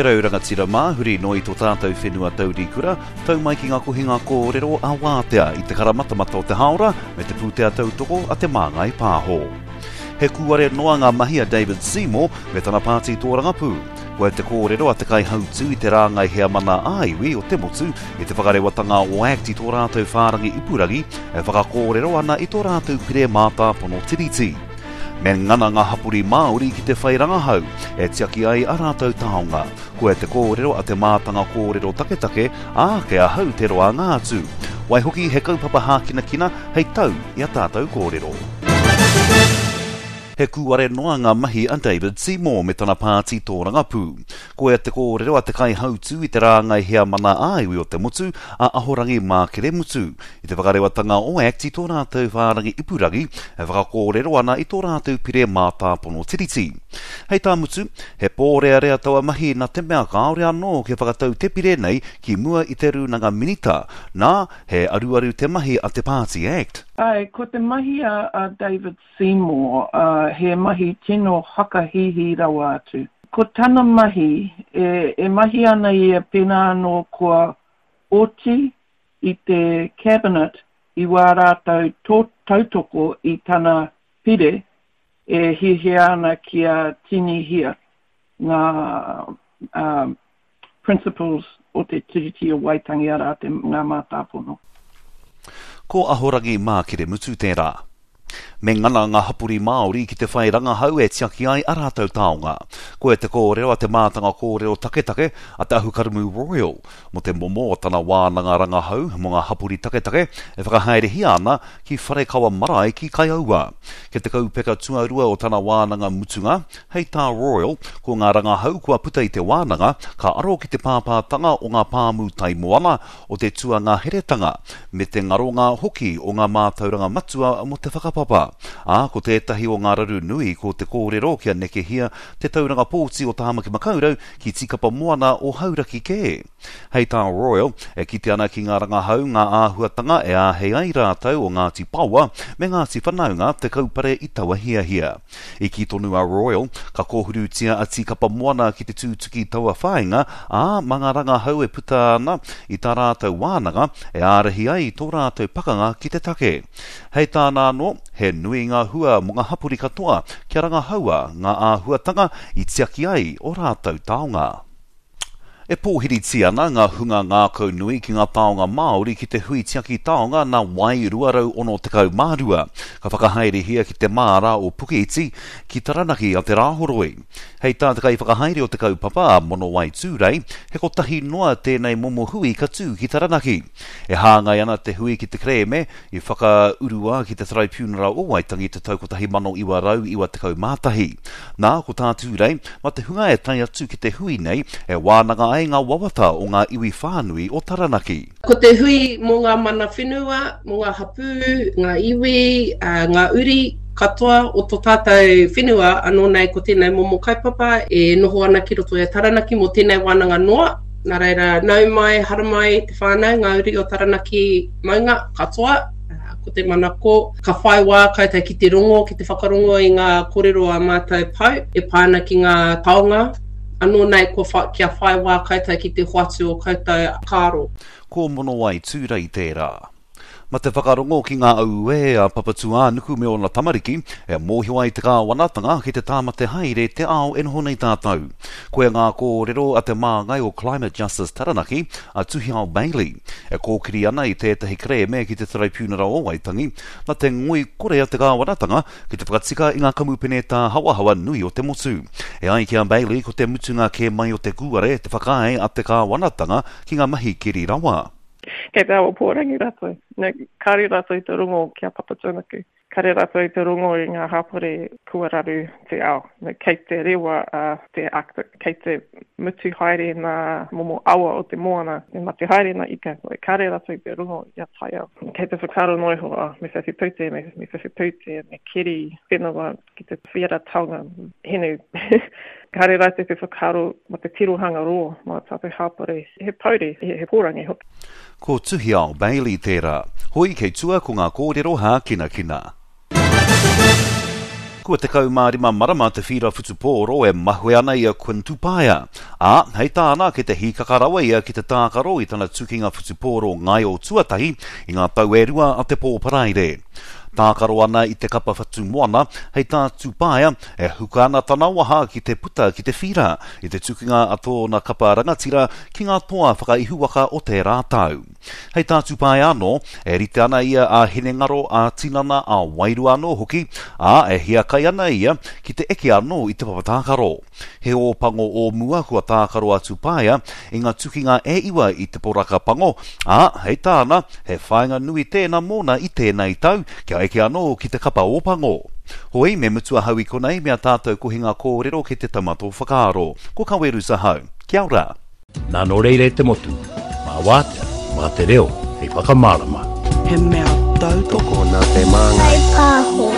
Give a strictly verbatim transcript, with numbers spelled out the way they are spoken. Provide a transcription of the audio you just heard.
E rau rangatira mā, huri noa i tō tātou whenua taurikura, tau mai ki ngā kohinga kōrero a Wātea i te karamatamata o te hāora me te pūtea tautoko a Te Māngai Pāho. He kūare noa ngā mahi a David Seymour me tana pāti tōrangapū. Koia te kōrero a te kaihautū i te rāngai heamana ā-iwi o te motu i te whakarewatanga o act i tō rātou whārangi ipurangi e whakakōrero ana i tō rātou pire mātāpono tiriti. Me ngana ngā hapori Māori ki te whai rangahau e tiaki ai a rātou taonga. Koia te kōrero a te mātanga kōrero taketake, ā, kei ahau te roanga atu. Waihoki he kaupapa hākinakina hei tau i a tātou kōrero. He kūare noa ngā mahi a David Seymour me tana pāti tōrangapū. Koia te kōrero a te kaihautū i te rāngai heamana ā-iwi o te motu, a Ahorangi Mākere Mutu, i te whakarewatanga o act i tō rātou whārangi ipurangi e whakakōrero ana i tō rātou pire mātāpono tiriti. Hei tā Mutu, he pōrearea taua mahi nā te mea kāore anō kia whakatau te pire nei ki mua i te Rūnanga Minita, nā, he aruaru te mahi a te pāti act. Āe, ko te mahi a David Seymour, he mahi tino whakahīhī rawa atu. Ko tana mahi, e, e mahi ana ia pēnā anō kua oti i te Cabinet i wā rātou tautoko i tana pire e hiahia ana kia tinihia ngā um, principles o te Tiriti o Waitangi, arā te, ngā mātāpono. Ko Ahorangi Mākeremutu tērā. Me ngana ngā hapori Māori ki te whai rangahau e tiaki ai a rātou taonga. Koia te kōrero a te mātanga kōrero taketake a Te Ahukaramū Royal mō te momo o tana wānanga rangahau mō ngā hapori taketake e whakahaerehia ana ki Wharekawa Marae ki Kaiaua. Kei te kaupeka tuarua o tana wānanga mutunga, hei tā Royal, ko ngā rangahau kua puta i te wānanga ka aro ki te pāpātanga o ngā pāmu taimoana o te tuangaheretanga me te ngaronga hoki o ngā mātauranga matua mō te whakapapa. Ā, ko tētahi o ngā raru nui ko te kōrero kia nekehia te tauranga pōti o Tāmaki Makaurau ki Tīkapa Moana o Hauraki kē. Hei tā Royal, e kite ana ki ngā rangahau ngā āhuatanga e āhei ai rātou o Ngāti Paoa me Ngāti Whanaunga te kaupare i taua hiahia. I kī tonu a Royal, ka kōhurutia a Tīkapa Moana ki te tūtuki taua whāinga, ā, mā ngā rangahau e puta ana i tā rātou wānanga e ārahi ai tō rātou pakanga ki te take. Hei tāna anō, he nui ngā hua mō ngā hapori katoa kia rangahaua ngā āhuatanga i tiaki ai ō rātou taonga. E pōhiritia ana ngā hunga ngākaunui ki ngā taonga Māori ki te hui tiaki taonga nā Wai rua rau ono tekau mā rua, ka whakahaerehia ki te māra o Pukeiti, ki Taranaki a Te Rāhoroi. Hei tā te kaiwhakahaere o te kaupapa, a Monowai Tūrei, he kotahi noa tēnei momo hui ka tū ki Taranaki. E hāngai ana te hui ki te kerēme i whakaurua ki te Taraipiunara o Waitangi i te tau kotahi mano iwa rau iwa tekau mā tahi. Nā, ko tā Tūrei, mā te hunga e tae atu ki te hui nei e wānanga ai ngā wawata o ngā iwi whānui o Taranaki. Ko te hui mō ngā mana whenua, mō ngā hapū, ngā iwi, ngā uri katoa o tō tātou whenua, anō nei ko tēnei momo kaupapa e noho ana ki roto i a Taranaki mō tēnei wānanga noa. Nā reira, nau mai, haramai te whānau, ngā uri o Taranaki maunga katoa, ko te manako, ka whai wā koutou ki te rongo, ki te whakarongo i ngā kōrero a mātou pou e pā ana ki ngā taonga, anō nei kua kia whai wā koutou ki te hoatu o koutou whakaaro. Ko Monowai Tūrei tērā. Ma te whakarongo ki ngā auē a Papatūānuku me ōna tamariki, e mōhio ai te kāwanatanga ki te tāmate haere te ao e noho nei tātou. Koia ngā kōrero a te māngai o Climate Justice Taranaki, a Tuhiao Bailey, e kōkiri ana i tētahi kerēme ki te Taraipiunara o Waitangi, na te ngoikore a te kāwanatanga ki te whakatika i ngā kamupene tāhawahawa nui o te motu. E ai ki a Bailey, ko te mutunga kē mai o te kūare te whakaae a te kāwanatanga ki ngā mahi keri rawa. Kei te awa pōrangi rātou. No, kāre rātou i te rongo ki a Papatūānuku. Kāre rātou i te rongo i ngā hapori kua raru te ao. No, kei te rewa a te Arctic, kei te mutu haere ngā momo awa o te moana, e mate haere ngā ika. No, kāre rātou i te rongo i a taiao. Kei te whakaaro noa iho, oh, me whiwhi pūtea, me, me whiwhi pūtea, me keri whenua ki te whiara taonga hinu. Kāre rātou te whakaaro mō te tirohanga roa mō ā tātou hapori. He pouri, he pōrangi hoki. Ko Tuhiao Bailey tērā. Hoi kei tua ko ngā kōrero hākinakina. Kua tekau mā rima marama te whīra whutupōro e mahue ana i a Quinn Tupaea, ā, hei tāna kei te hīkaka rawa ia ki te tākaro i tana tukinga whutupōro ngaio tuatahi i ngā tau e rua a te pō Paraire. Tākaro ana i te kapa Whatumoana, hei tā Tupaea, e huka ana tana waha ki te puta ki te whīra i te tukinga a tōna kapa rangatira ki ngā toa whakaihuwaka o tērā tau. Hei tā Tupaea anō, e rite ana ia ā-hinengaro, ā-tinana, ā-wairua anō hoki, ā, e hiakai ana ia ki te eke anō i te papa tākaro. He Ōpango o mua kua tākaro a Tupaea i ngā tukinga e iwa i te poraka pango, ā, hei tāna, he whāinga nui tēnā mōna i tēnei tau kia eke anō ki te kapa Ōpango. Hoi, me mutu ahau i konei me a tātou kohinga kōrero ki te taumata o whakaaro. Ko Kawerusa hau. Kia ora. Nā nō reira e te motu, mā wātea, mā te reo hei whakamārama. He mea tautoko Tokona te māngai. Whai pāho.